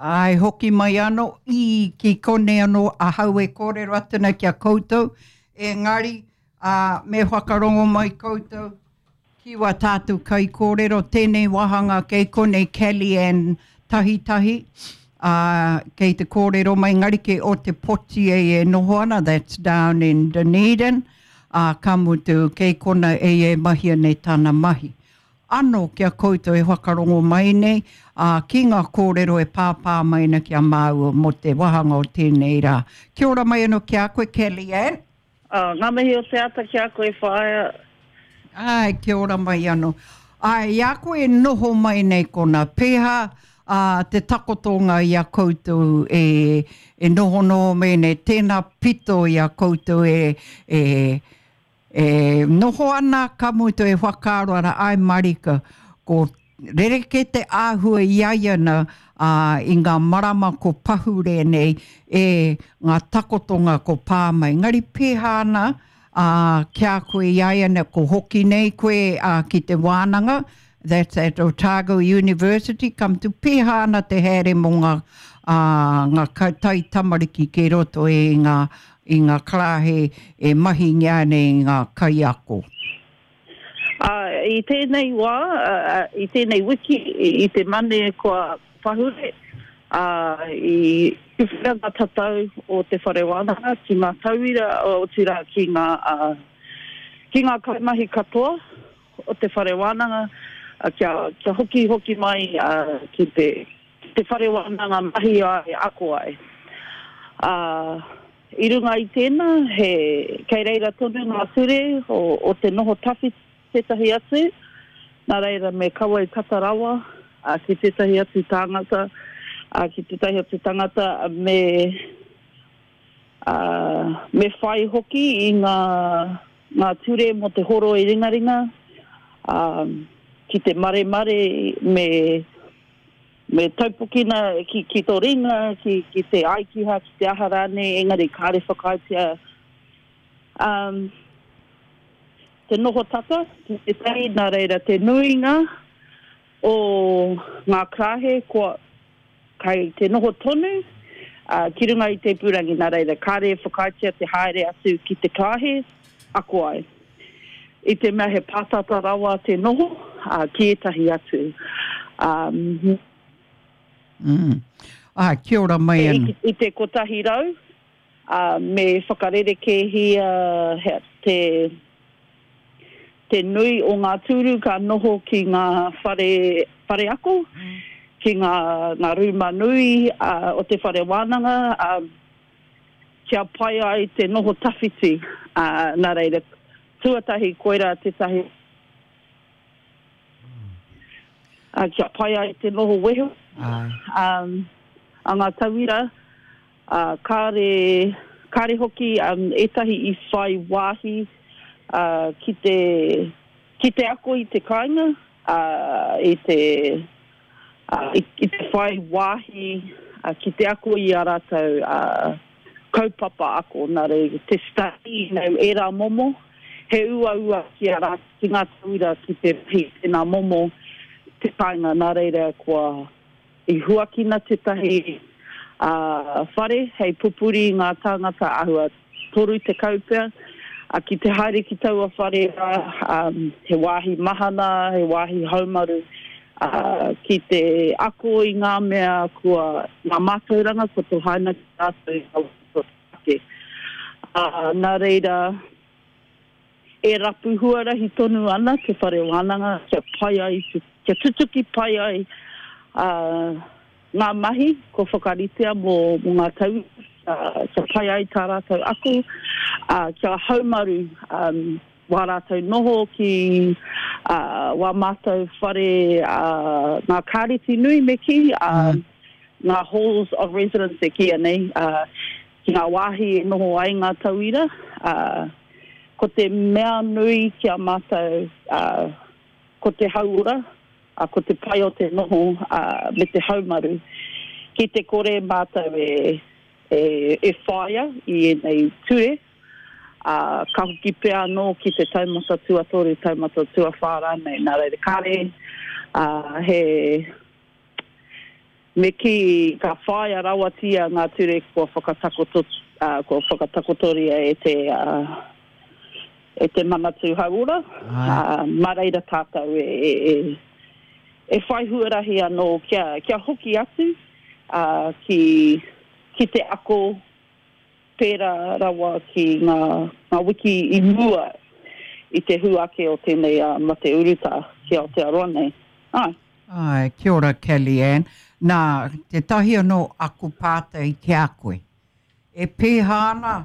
Āe, hoki mai anō i ki konei anō ahau e kōrero atu ana ki a koutou, engari, ā, me whakarongo mai koutou ki wā tātou kaikōrero, tēnei wāhanga kei konei Kelly-Anne Tahitahi, ā, kei te kōrero mai engari kei Ōtepoti ei e noho ana, that's down in Dunedin, ā, ka mutu kei kona ei e mahia nei tana mahi. Ano ki a koutou e whakarongo mai nei, ā, ki ngā kōrero e pāpā mai ana ki a māua mō te wāhanga o tēnei rā. Kia ora mai anō ki a koe, Kelly-Anne. Ā, ngā mihi o te ata ki a koe, whaea. Āe, kia ora mai anō. Āe, i a koe e noho mai nei konā, pēhā, ā, te takotonga i a koutou e, e nohonoho mai nei, tēnā pito i a koutou e, e, E noho ana ka mutu e whakaaro ana, āe marika, ko rerekē te āhua i a ia na, ā, i ngā marama ko pahure nei, e ngā takotonga ko pā mai. Engari pēhā ana, ā, ki a koe i a ia nei, ko hoki nei koe, ā, ki te wānanga, that's at Otago University, ka mutu pēhā ana te haere mō ngā, ā, ngā taitamariki kei roto i ngā i ngā karāhe e mahingia ana e ngā kaiako. Ā, i tēnei wā, i tēnei wiki, i te Mane kua pahure, ā, i tuwhera ngā tatau o te whare wānanga ki ngā tauira, otirā ki ngā, ki ngā kaimahi katoa o te whare wānanga, kia, kia hokihoki mai ki te, te whare wānanga mahi ai, ako ai. Ā, i runga i tēnā, he, kei reira tonu ngā ture o, o te noho tawhiti tētahi atu, nā reira me kaua i tata rawa ā, ki tētahi atu tāngata, ā, ki tētahi atu tangata, me, ā, me whai hoki i ngā, ngā ture mō te horoi ringaringa, ā, ki te maremare me, Me taupokina ki, ki tō ringa, ki, ki te aikiha, ki te aha rānei, engari kāre whakaaetia um, te noho tata ki tētahi, nā reira te nuinga o ngā karāhe kua kai te noho tonu uh, ki runga i te ipurangi, nā reira kāre e whakaaetia te haere atu ki te karāhe ako ai. I te mea he pātata rawa te noho ki ētahi atu. Mm. Ah, kia ora mai ano. I te 100, me whakarerekēhia te, te nui o ngā tūru ka noho ki ngā whare, whare ako, ki ngā, ngā rūma nui o te whare wānanga, kia pai ai te noho tawhiti, ā, nā reira, tuatahi koirā tētahi, ā, kia pai ai te noho wehe, ā, a ngā tauira, ā, kāre, kāre hoki ētahi i whai wāhi, ā, ki te, ki te ako i te kāinga, ā, i te, ā, i te whai wāhi ki te ako i ā rātou kaupapa ako, nā reira, te study, you know, ērā momo, he uaua ki a rātou, ki ngā tauira ki te mahi i tēnā momo te kāinga, nā reira kua i huakina tētahi whare hei pupuri i ngā tāngata āhua 30 pea, ā, ki te haere ki taua whare rā, ā, he wāhi mahana, he wāhi haumaru, ā, ki te ako i ngā mea kua, ngā mātauranga kua tohaina ki rātou i ngā wā kua ake. Ā, nā reira, e rapu huarahi tonu ana te whare wānanga kia pai ai, kia tutuki pai ai, ā, ngā mahi kua whakaritea mō ngā tauira kia pai ai tā rātou ako, ā, kia haumaru wā rātou noho ki wā mātou whare, ngā kāreti nui me kī, ngā halls of residence e kīia nei, ki ngā wāhi e noho ai ngā tauira. Ko te mea nui ki a mātou, ko te hauora, ā, ko te pai o te noho, ā, me te haumaru. Ki te kore mātou e, e, e whāia i ēnei ture, ā, ka hoki pea anō ki te taumata tuatoru, taumata tuawhā rānei. Nā reira, kāre, ā, he. Me kī, ka whāia rawatia ngā ture kua whakatakoto, kua whakatakotoria e te, e te Manatū Hauora, mā reira tātou e, e, e, e whai huarahi anō kia, kia hoki atu ki, ki te ako pērā rawa ki ngā, ngā wiki i mua i te hua ake o tēnei mate urutā ki Aotearoa nei. Āe. Āe, kia ora Kelly-Anne. Nā, tētahi anō aku pātai ki a koe. E pēhā ana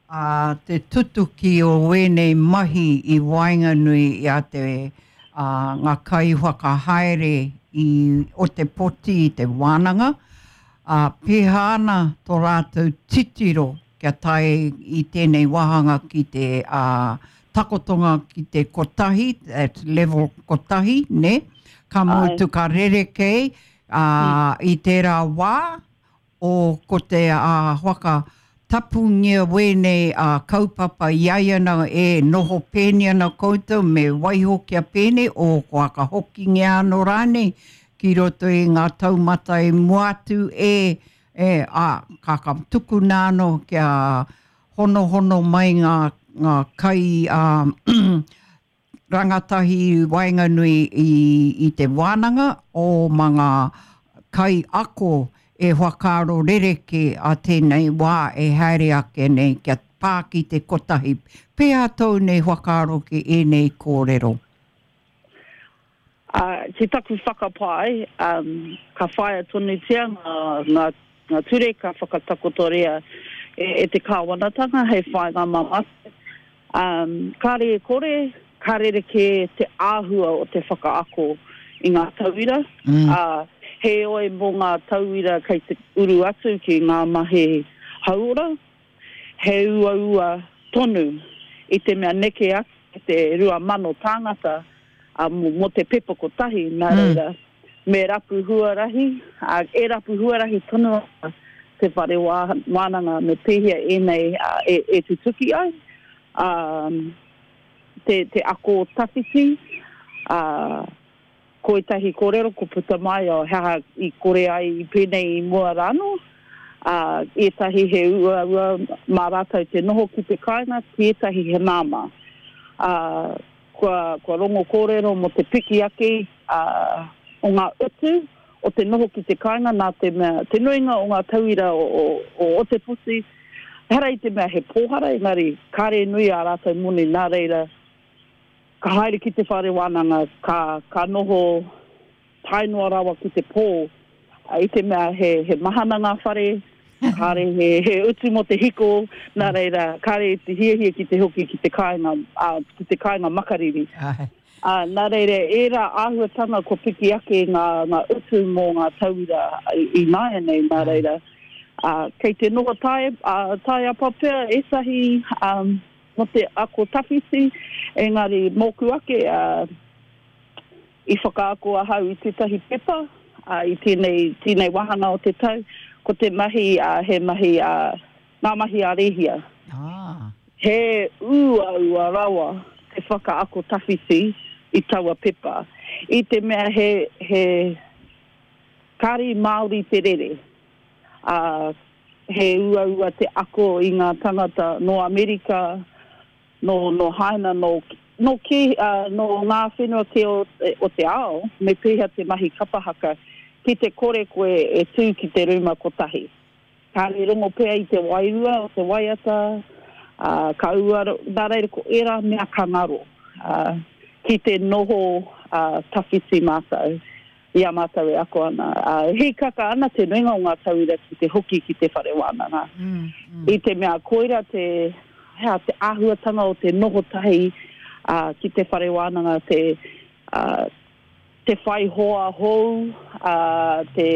ā, te tutuki o ēnei mahi i waenganui i a te, ā, ngā kaiwhakahaere i Otepoti i te wānanga, ā, pēhā ana tō rātou titiro kia tae i tēnei wāhanga ki te, ā, takotonga ki te kotahi, that's level kotahi, nē? Ka mutu ka rerekē, ā, i tērā wā, o ko te ā, whaka tapungia wēnei ā, kaupapa i ai ana e noho pēni ana koutou me waiho kia pēnei o ko whakahokingia anō rānei ki roto i ngā taumata i mua atu e, e, ā, ka, ka tukuna anō kia honohono mai ngā, ngā kai ā, rangatahi i waenganui i, i te wānanga o ma ngā kaiako e whakaaro rerekē a tēnei wā e haere ake nei kia pā ki te kotahi. Pēhea tōu nei whakaaro ki ēnei kōrero? Ā, ki taku whakapae, ka whāia tonutia ngā, ngā ture ka whakatakotoria e, e te kāwanatanga hei whāinga mā mātou. Ā, kāre e kore, ka rerekē te āhua o te whakaako i ngā tauira, ā, heoi mō ngā tauira kei te uru atu ki ngā mahi hauora, he uaua tonu i te mea neke atu i te 2,000 tāngata ā, mō te pepa kotahi, nā reira, me rapu huarahi, ā, e rapu huarahi tonu ana te whare wānanga me pēhea ēnei e, e tutuki ai, ā, te, te ako tawhiti, ā, ko ētahi kōrero ko puta mai, oh, he aha i kore ai i pēnei i mua rānō, ā, ētahi he uaua mā rātou te noho ki te kāinga, ki ētahi he māmā. Ā, Kua, kua rongo kōrero mō te piki ake, ā, o ngā utu o te noho ki te kāinga nā te mea, te nuinga o ngā tauira o, o, o Otepoti, ehara i te mea he pōhara, engari kāre nui ā rātou moni, nā reira, ka haere ki te whare wānanga, ka, ka noho tae noa rawa ki te pō, i te mea he, he mahana ngā whare, kāre he, he utu mō te hiko, nā reira, kāre i te hiahia ki te hoki ki te kāinga, ā, ki te kāinga makariri. Āe. Ā, nā reira, ērā āhuatanga kua piki ake ngā, ngā utu mō ngā tauira i, ināianei, nā reira, ā, kei te noho tae, ā, taeapa pea ētahi, ā, mō te ako tawhiti, engari mōku ake, ā, I whakaako ahau i tētahi pepa i tēnei, tēnei wāhanga o te tau, ko te mahi he mahi ngā mahi a Rēhia. Ah. He uaua rawa te whakaako tawhiti i taua pepa, i te mea he, he kāri Māori te rere, ā, he uaua te ako i ngā tangata nō Amerika, Nō, nō Haina, nō, nō kē, ā, nō ngā whenua kē o, o te ao, me pēhea te mahi kapa haka, ki te kore koe e tū ki te rūma kotahi. Kāre rongo pea i te wairua o te waiata, ā, ka ua, nā reira ko ērā mea ka ngaro, ā, ki te noho, ā, tawhiti mātou. I a mātou e ako ana, ā, e hīkaka ana te nuinga o ngā tauira ki te hoki ki te whare wānanga. I te mea koira te, hea, te āhuatanga o te noho tahi, ā, ki te whare wānanga, te, ā, te whai hoa hou, ā, te,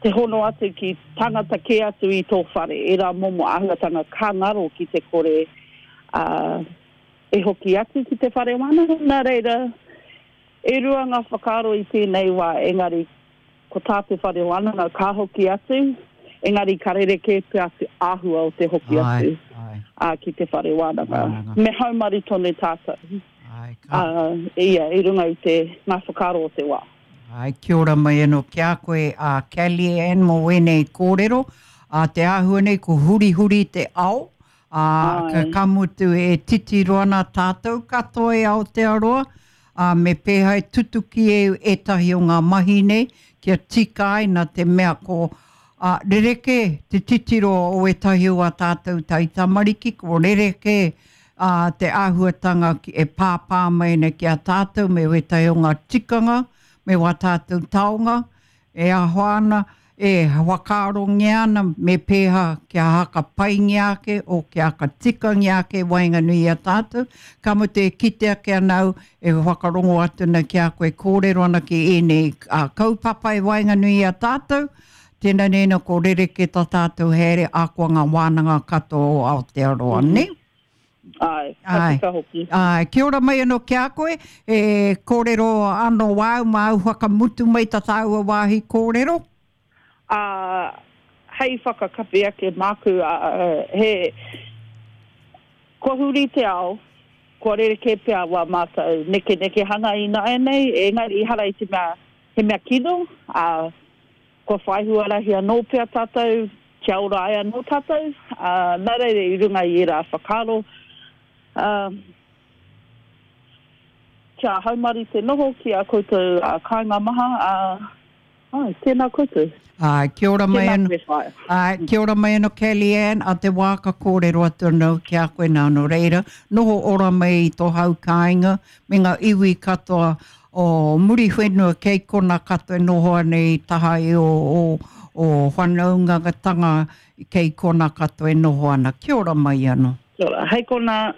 te hono atu ki tangata kē atu i tō whare, ērā momo āhuatanga ka ngaro ki te kore, ā, e hoki atu ki te whare wānanga. Nā reira, E rua ngā whakaaro i tēnei wā, engari ko tā te whare wānanga ka hoki atu, engari ka rerekē pea te āhua o te hoki atu ki te whare wānanga. Me haumaru tonu tātou, ia, i runga i te, ngā whakaaro o te wā. Āe, kia ora mai anō ki a koe a Kelly-Ann mō ēnei kōrero. Ā, te āhua nei ko hurihuri te ao, ā, ka, ka mutu e titiro ana tātou katoa e Aotearoa, ā, me pēhea e tutuki e ētahi o ngā mahi nei kia tika ai nā te mea ko, ā, rerekē te titiro o ētahi o ā tātou taitamariki, ko rerekē, ā, te āhuatanga ki, e pāpā mai ana ki a tātou me wētahi o ngā tikanga, me wā tātou taonga, e ahoa ana, e whakaarongia ana me pēhā kia haka paingia ake o kia haka tikangia ake waenganui i a tātou, ka mutu e kite ake ana au e whakarongo atu ana ki a koe kōrero ana ki ēnei kaupapa e waenganui i a tātou, tēnā nei nā ko rerekē tā tātou haere ahakoa ngā wānanga katoa o Aotearoa, nē? Āe, ka tika hoki. Āe, kia ora mai anō ki a koe, e kōrero anō wāu māu whakamutu mai tā tāua wāhi kōrero. Ā, hei whakakapi ake māku, ā, he, kua huri te ao, kua rerekē pea wā mātou nekenekehanga ināianei, engari ehara i te mea, he mea kino, ā, Kua whai huarahi anō pea tātou kia ora ai anō tātou, ā, nā reira i runga i ērā whakaaro, ā, kia haumaru te noho ki ā koutou kāinga maha, ā, āe, tēnā koutou. Āe, kia ora mai anō. Tēnā koe, whaea. Āe, kia ora mai anō Kelly-Ann, a te wā ka kōrero atu anō ki a koe nā, nō reira, noho ora mai i tō hau kāinga me ngā iwi katoa o Muriwhenua kei kona katoa e noho ana i taha i o, o, o whanaungatanga kei kona katoa e noho ana. Kia ora mai ano. Kia ora. Hei kona.